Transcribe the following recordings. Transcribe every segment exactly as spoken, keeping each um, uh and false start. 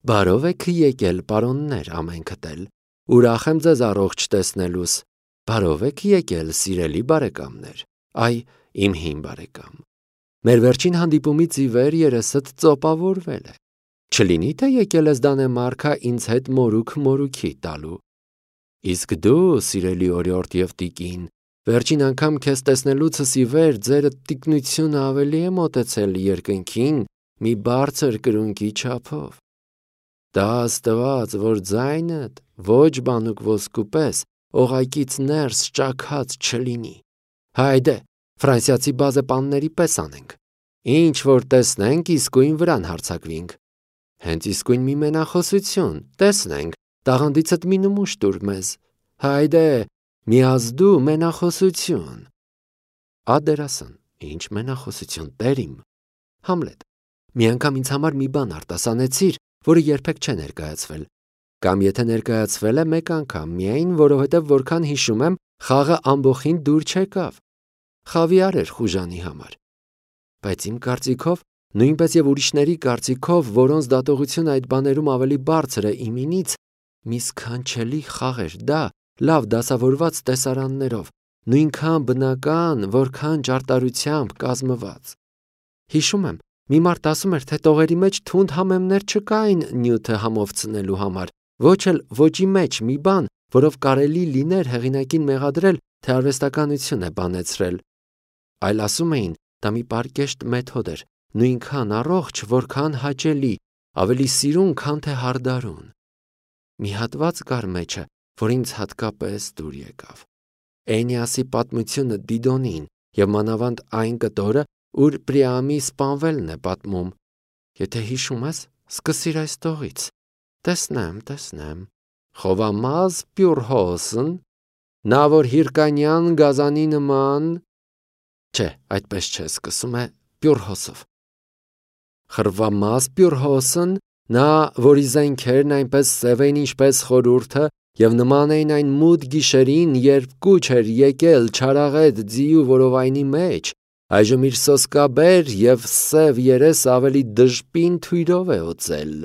Բարով եք եկել, պարոններ, ամենքդ էլ, ուրախ եմ ձեզ առողջ տեսնելուս, բարով եք եկել, սիրելի բարեկամներ, այ իմ հին բարեկամ, մեր վերջին հանդիպումից ի վեր երեսդ ծոպավորվել է, չլինի թե եկել ես Դանեմարկա ինձ հետ մորուք մորուքի տալու, իսկ դու, սիրելի օրիորդ և տիկին, վերջին անգամ քեզ տեսնելուցս ի վեր ձեր տիկնությունը ավելի է մոտեցել երկնքին մի բարձր կրունկի չափով, դա աստված, որ ձայնդ ոչ բանուկ ոսկու պես օղակից ներս ճաքած չլինի, հայդե, ֆրանսիացի բազեպանների պես անենք, ինչ որ տեսնենք իսկույն վրան հարձակվինք, հենց իսկույն մի մենախոսություն, տեսնենք, տաղանդիցդ մի նմուշ տուր մեզ, հայդե, մի ազդու մենախոսություն, ադերասն, ինչ մենախոսություն, տերիմ, Համլետ, մի անգամ ինձ համար մի բան արտասանեցիր, որը երբեք չէ ներկայացվել, կամ եթե ներկայացվել է մեկ անգամ միայն, որովհետև որքան հիշում եմ, խաղը ամբողին դուր չեկավ, խավիար էր խուժանի համար, բայց իմ կարծիքով, նույնպես և ուրիշների կարծիքով, որոնց դատողությունը այդ բաներում ավելի բարձր է իմինից, մի սքանչելի խաղ էր դա, լավ դասավորված տեսարաններով, նույնքան բնական, որքան ճարտարությամբ կազմված, հիշում եմ, մի մարդ ասում էր, թե տողերի մեջ թունդ համեմներ չկային նյութը համովցնելու համար, ոչ էլ ոճի մեջ մի բան, որով կարելի լիներ հեղինակին մեղադրել, թե արվեստականություն է բանեցրել, այլ ասում էին, դա մի պարկեշտ մեթոդ էր, նույնքան առողջ, որքան հաճելի, ավելի սիրուն, քան թե հարդարուն, մի հատված կար մեջը, որ ինձ հատկապես դուր եկավ, Էնիասի պատմությունը Դիդոնին և մանավանդ այն կտորը, ուր Պրիամի սպանվելն է պատմում, եթե հիշում ես, սկսիր այս տողից, տեսնեմ, տեսնեմ, խովամազ Պյուրհոսն, նա որ Հիրկանյան գազանի նման, չէ, այդպես չէ, սկսում է Պյուրհոսով, խրվամազ Պյուրհոսն, նա, որի զենքերն այնպես սև էին ինչպես խորհուրդը, և նման էին այն մութ գիշերին, երբ կուչ էր եկել չարաղետ ձիու որովայնի մեջ, այժմ իր սոսկաբեր և սև երես ավելի դժպին թույրով է օծել,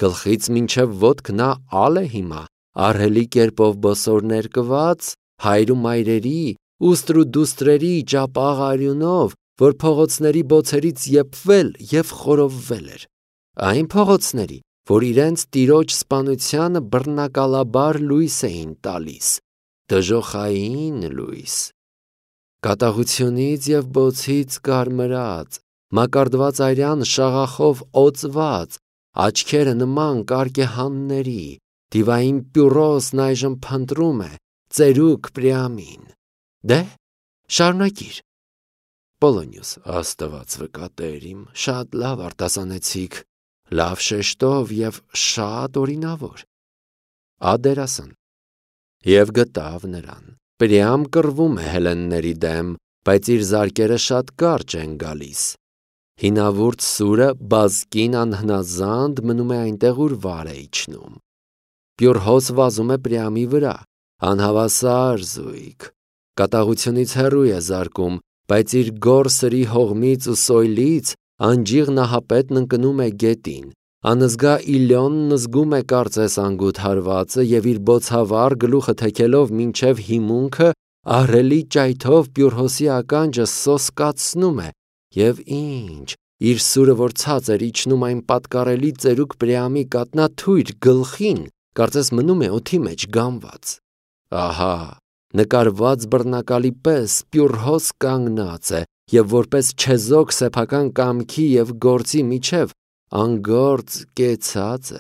գլխից մինչև ոտք նա ալ է հիմա, ահռելի կերպով բոսոր ներկված, հայր ու մայրերի, ուստր ու դուստրերի ճապաղ արյունով, որ փողոցների բոցերից եփվել և խորովվել էր, այն փողոցների, որ իրենց տիրոջ սպանությանը բռնակալաբար լույս էին տալիս, դժոխային լույս, կատաղությունից և բոցից կարմրած, մակարդված արյան շաղախով օծված, աչքերը նման կարկեհանների, դիվային Պյուրոսն այժմ փնտրում է, ծերուկ Պրիամին, դե, շարունակիր, Պոլոնիուս, աստված վկա տերիմ, շատ լավ արտասանեցիք, լավ շեշտով և շատ օրինավոր, ադերասն, և գտավ նրան, Պրիամ կռվում է հելենների դեմ, բայց իր զարկերը շատ կարճ են գալիս, հինավուրց սուրը բազկին անհնազանդ մնում է այնտեղ, ուր վար է իջնում, Պյուրհոս վազում է Պրիամի վրա, անհավասար զույգ, կատաղությունից հեռու է զարկում, բայց իր գոռ սրի հողմից ու սոյլից անջիղ նահապետն ընկնում է գետին, անզգա Իլյոնն զգում է կարծես անգութ հարվածը և իր բոցավառ գլուխը թեքելով մինչև հիմունքը ահռելի ճայթով Պյուրհոսի ականջը սոսկացնում է և ինչ, իր սուրը որ ցած էր իջնում այն պատկառելի ծերուկ Պրիամի կատնաթույր գլխին, կարծես մնում է օդի մեջ գամված, ահա, նկարված բռնակալի պես Պյուրհոս կանգնած է և որպես չեզոք սեփական կամքի և գործի միջև անգործ կեցած է,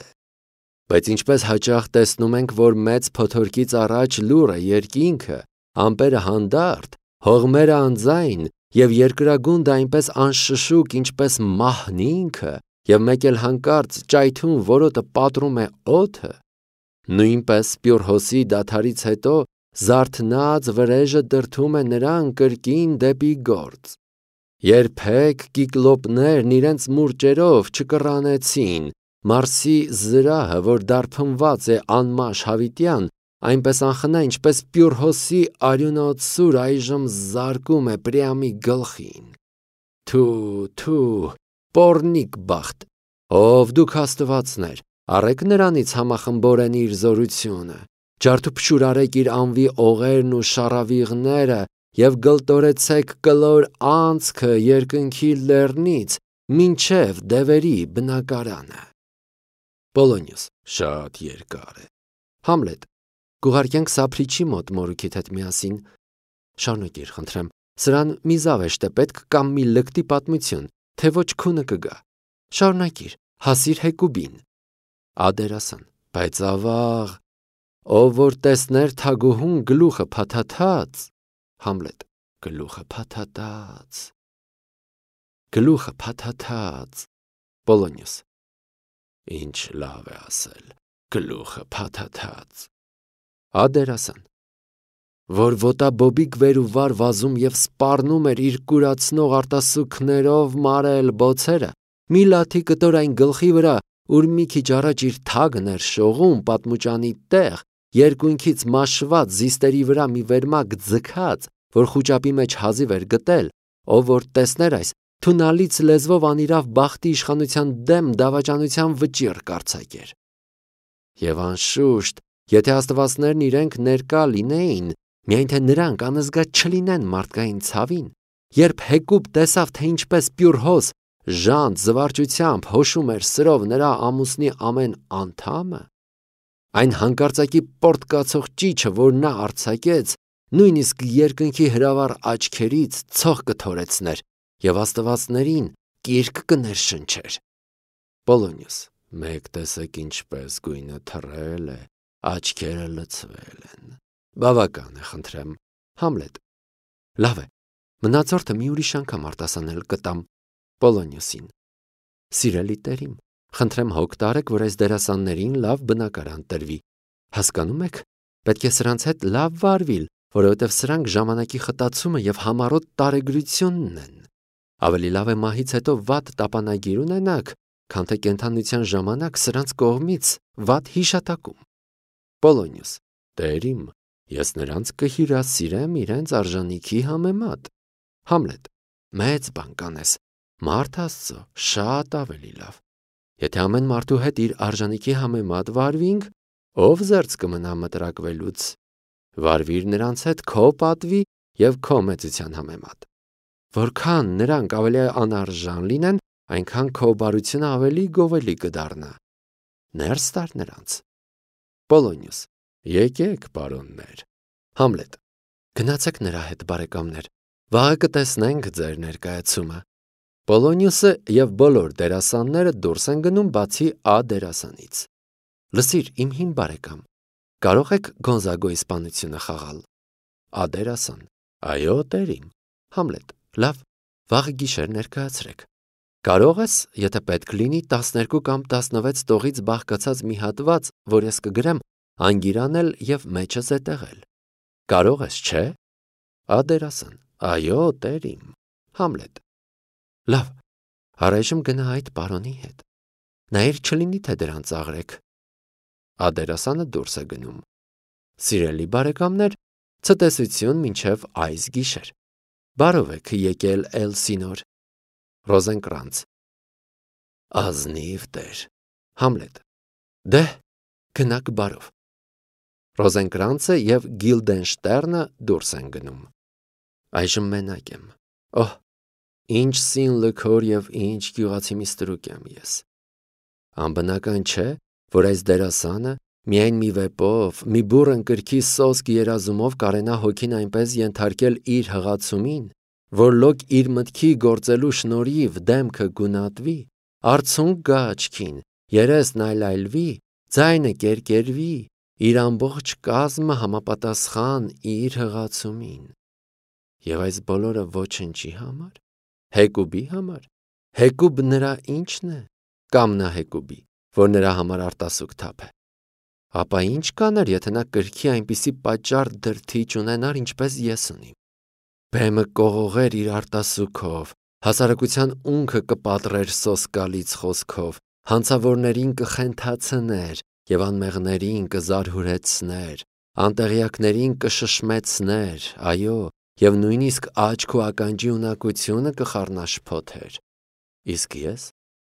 բայց ինչպես հաճախ տեսնում ենք, որ մեծ փոթորկից առաջ լուռ է երկինքը, ամպերը հանդարտ, հողմերը անձայն և երկրագունդը այնպես անշշուկ, ինչպես մահն ինքը և մեկ էլ հանկարծ ճայթուն որոտը պատռում է օդը, նույնպես Պյուրհոսի դադարից հետո զարթնած վրեժը դրդում է նրան կրկին դեպի գործ, երբեք կիկլոպներն իրենց մուրճերով չկռանեցին Մարսի զրահը, որ դարբնված է անմաշ հավիտյան, այնպես անխնա, ինչպես Պյուրհոսի արյունոտ սուր այժմ զարկում է Պրիամի գլխին, թու, թու, պոռնիկ բախտ, ով դուք աստվածներ, Առեք նրանից համախմբորեն իր զորությունը, ջարդուփշուր արեք իր անվի օղերն ու շառավիղները և գլտորեցեք կլոր անցքը երկնքի լեռնից մինչև դևերի բնակարանը։ Պոլոնիոս, շատ երկար է։ Համլետ, կուղարկենք Սափրիչի մոտ մորուքիդ հետ միասին։ Շարունակիր, խնդրեմ, սրան մի զավեշտ է պետք կամ մի լկտի պատմություն, թե ոչ քունը կգա։ Շարունակիր, հասիր Հեկուբին։ Ադերասան, բայց ավաղ, ով որ տեսներ թագուհուն գլուխը փաթաթած։ Համլետ, գլուխը փաթաթած։ Գլուխը փաթաթած։ Պոլոնիոս, ինչ լավ է ասել, գլուխը փաթաթած։ Ադերասան, որ ոտաբոբիկ վեր ու վար վազում և սպառնում էր իր կուրացնող արտասուքներով մարել բոցերը, մի լաթի կտոր այն գլխի վրա, ուր մի քիչ առաջ իր թագն էր շողում պատմուճանի տեղ, երկունքից մաշված զիստերի վրա մի վերմակ ձգած, որ խուճապի մեջ հազիվ էր գտել, ով որ տեսներ այս, թունալից լեզվով անիրավ բախտի իշխանության դեմ դավաճանության վճիռ կարձակեր։ Եվ անշուշտ, եթե աստվածներն իրենք ներկա լինեին, միայն թե նրանք անզգա չլինեն մարդկային ցավին, երբ Հեկուբ տեսավ, թե ինչպես պյուրհոս ժանտ զվարճությամբ հոշում էր սրով նրա ամուսնի ամեն անդամը, այն հանկարծակի պորտկացող ճիչը, որ նա արձակեց, նույնիսկ երկնքի հրավառ աչքերից ցող կթորեցներ և աստվածներին կիրք կներշնչեր։ Պոլոնիոս, մեկ տեսեք ինչպես գույնը թռել է, աչքերը լցվել են։ Բավական է, խնդրեմ։ Համլետ, լավ է, մնացորդը մի ուրիշ անգամ արտասանել կտամ Պոլոնիոսին։ Սիրելի տերիմ, խնդրեմ հոգ տարեք, որ այս դերասաններին լավ բնակարան տրվի։ Հասկանում եք, պետք է սրանց հետ լավ վարվիլ, որովհետև սրանք ժամանակի խտացումը և համառոտ տարեգրությունն են։ Ավելի լավ է մահից հետո վատ տապանագիր ունենաք, քան թե կենդանության ժամանակ սրանց կողմից վատ հիշատակում։ Պոլոնիոս, տերիմ, ես նրանց կհյուրասիրեմ իրենց արժանիքի համեմատ։ Համլետ, մեծ բան կանես, մարդ Աստծո, շատ ավելի լավ։ Եթե ամեն մարդու հետ իր արժանիքի համեմատ վարվինք, ով զերծ կմնա մտրակվելուց։ Վարվիր նրանց հետ քո պատվի և քո մեծության համեմատ։ Որքան նրանք ավելի անարժան լինեն, այնքան քո բարությունը ավելի գովելի կդառնա։ Ներս տար նրանց։ Պոլոնիոս, եկեք, պարոններ։ Համլետ, գնացեք նրա հետ, բարեկամներ, վաղը կտեսնենք ձեր ներկայացումը։ Պոլոնիոսը և բոլոր դերասանները դուրս են գնում բացի Ա դերասանից։ Լսիր, իմ հին բարեկամ, կարող եք Գոնզագոյի սպանությունը խաղալ։ Ա դերասան, այո, տերիմ։ Համլետ, լավ, վաղը գիշեր ներկայացրեք։ Կարող ես, եթե պետք լինի, տասներկու կամ տասնվեց տողից բաղկացած մի հատված, որ ես կգրեմ, անգիրանել և մեջը զետեղել։ Կարող ես, չէ։ Ա դերասան, այո, տերիմ։ Համլետ, լավ, առայժմ գնա այդ պարոնի հետ։ Նայիր չլինի, թե դրան ծաղրեք։ Ա դերասանը դուրս է գնում։ Սիրելի բարեկամներ, ցտեսություն մինչև այս գիշեր։ Բարով եք եկել Էլսինոր։ Ռոզենկրանց, ազնիվ տեր։ Համլետ, դե, գնաք բարով։ Ռոզենկրանցը և Գիլդենշտերնը դուրս են գնում։ Այժմ մենակ եմ։ Օհ, ինչ սին լքոր և ինչ գյուղացի մի ստրուկ եմ ես։ Անբնական չէ, որ այս դերասանը միայն մի վեպով, մի բուռն կրքի սոսկ երազումով կարենա հոգին այնպես ենթարկել իր հղացումին, որ լոկ իր մտքի գործելու շնորհիվ դեմքը գունատվի, արցունք գա աչքին, երեսն այլայլվի, ձայնը կերկերվի, իր ամբողջ կազմը համապատասխան իր հղացումին։ Եվ այս բոլորը ոչնչի համար, Հեկուբի համար, Հեկուբ նրա ինչն է, կամ նա Հեկուբի, որ նրա համար արտասուք թափ է։ Ապա ինչ կաներ, եթե նա կրքի այնպիսի պատճառ դրդիչ ունենար, ինչպես ես ունիմ։ Բեմը կողողեր իր արտասուքով, հասարակության ունքը կպատրեր սոսկալից խոսքով, հանցավորներին կխենթացներ և անմեղներին կզարհուրեցներ, անտեղյակներին կշշմեցներ, այո, և նույնիսկ աչք ու ականջի ունակությունը կխառնաշփոթեր։ Իսկ ես,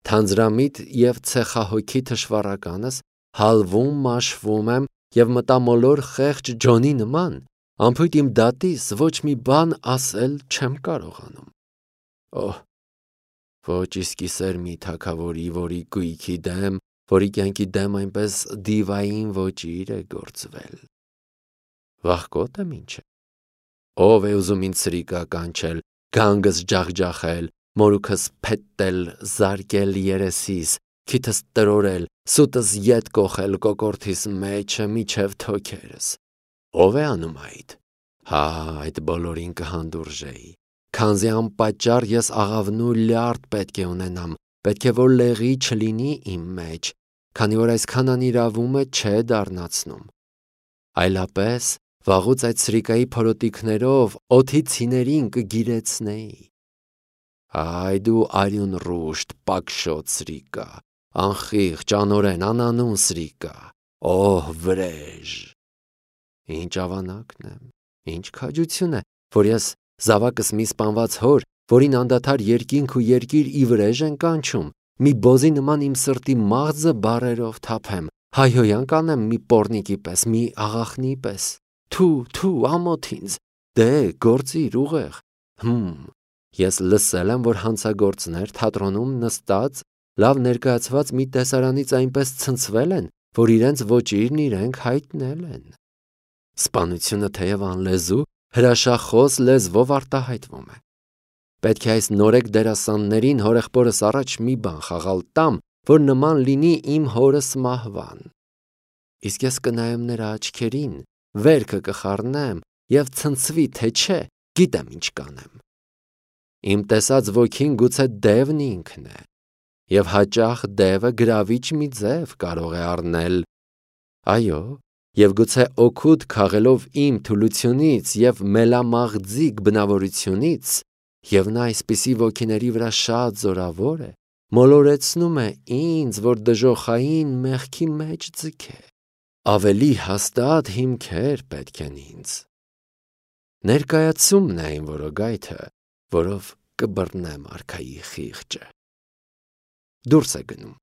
թանձրամիտ և ցեխահոգի թշվառականս հալվում, մաշվում եմ և մտամոլոր խեղճ Ջոնի նման անփույթ իմ դատիս ոչ մի բան ասել չեմ կարողանում։ Օհ, ոչ իսկի սեր մի թագավորի, որի գույքի դեմ, որի կյանքի դեմ այնպես դիվային ոճիր է գործվել։ Վախկոտ եմ ինչ է։ Ով է ուզում ինձ սրիկա կանչել, գանգս ջախջախել, մորուքս փետտել, զարկել երեսիս, քիթս տրորել, սուտս ետ կոխել կոկորդիս մեջը միջև թոքերս։ Ով է անում այդ։ Հա, այդ բոլորին կհանդուրժեի, քանզի անպատճառ ես աղավնու լյարդ պետք է ունենամ, պետք է որ լեղի չլինի իմ մեջ, քանի որ այսքան անիրավումը չէ դառնացնում։ Այլապես վաղուց այդ սրիկայի փորոտիքներով օդի ցիներին կգիրեցնեի։ Այ դու արյուն ռուշտ, պակշոտ սրիկա, անխիղճ, անօրեն, անանուն սրիկա, օհ վրեժ։ Ինչ ավանակն եմ, ինչ քաջություն է, որ ես զավակս մի սպանված հոր, որին անդադար երկինք ու երկիր ի վրեժ են կանչում, մի բոզի նման իմ սրտի մաղձը բառերով թափեմ, հայհոյան կանեմ մի պոռնիկի պես, մի աղախնի պես։ Թու, թու, ամոթ ինձ, դե գործիր ուղեղ։ Հմ, ես լսել եմ, որ հանցագործներ թատրոնում նստած, լավ ներկայացված մի տեսարանից այնպես ցնցվել են, որ իրենց ոճիրն իրենք հայտնել են։ Սպանությունը թեև անլեզու, հրաշախոս լեզվով արտահայտվում է։ Պետք է այս նորեկ դերասաններին հորեղբորս առաջ մի բան խաղալ տամ, որ նման լինի իմ հորս մահվան։ Իսկ ես կնայեմ նրա աչքերին, վերքը կխառնեմ և ցնցվի, թե չէ, գիտեմ ինչ կանեմ։ Իմ տեսած ոգին գուցե դևն ինքն է, և հաճախ դևը գրավիչ մի ձև կարող է առնել։ Այո, և գուցե օգուտ քաղելով իմ թուլությունից և մելամաղձիկ բնավորությունից, և նա այսպիսի ոգիների վրա շատ զորավոր է, մոլորեցնում է ինձ, որ դժոխային մեղքի մեջ ձգե։ Ավելի հաստատ հիմքեր պետք են ինձ։ Ներկայացումն է այն որոգայթը, որով կբռնեմ արքայի խիղճը։ Դուրս է գնում։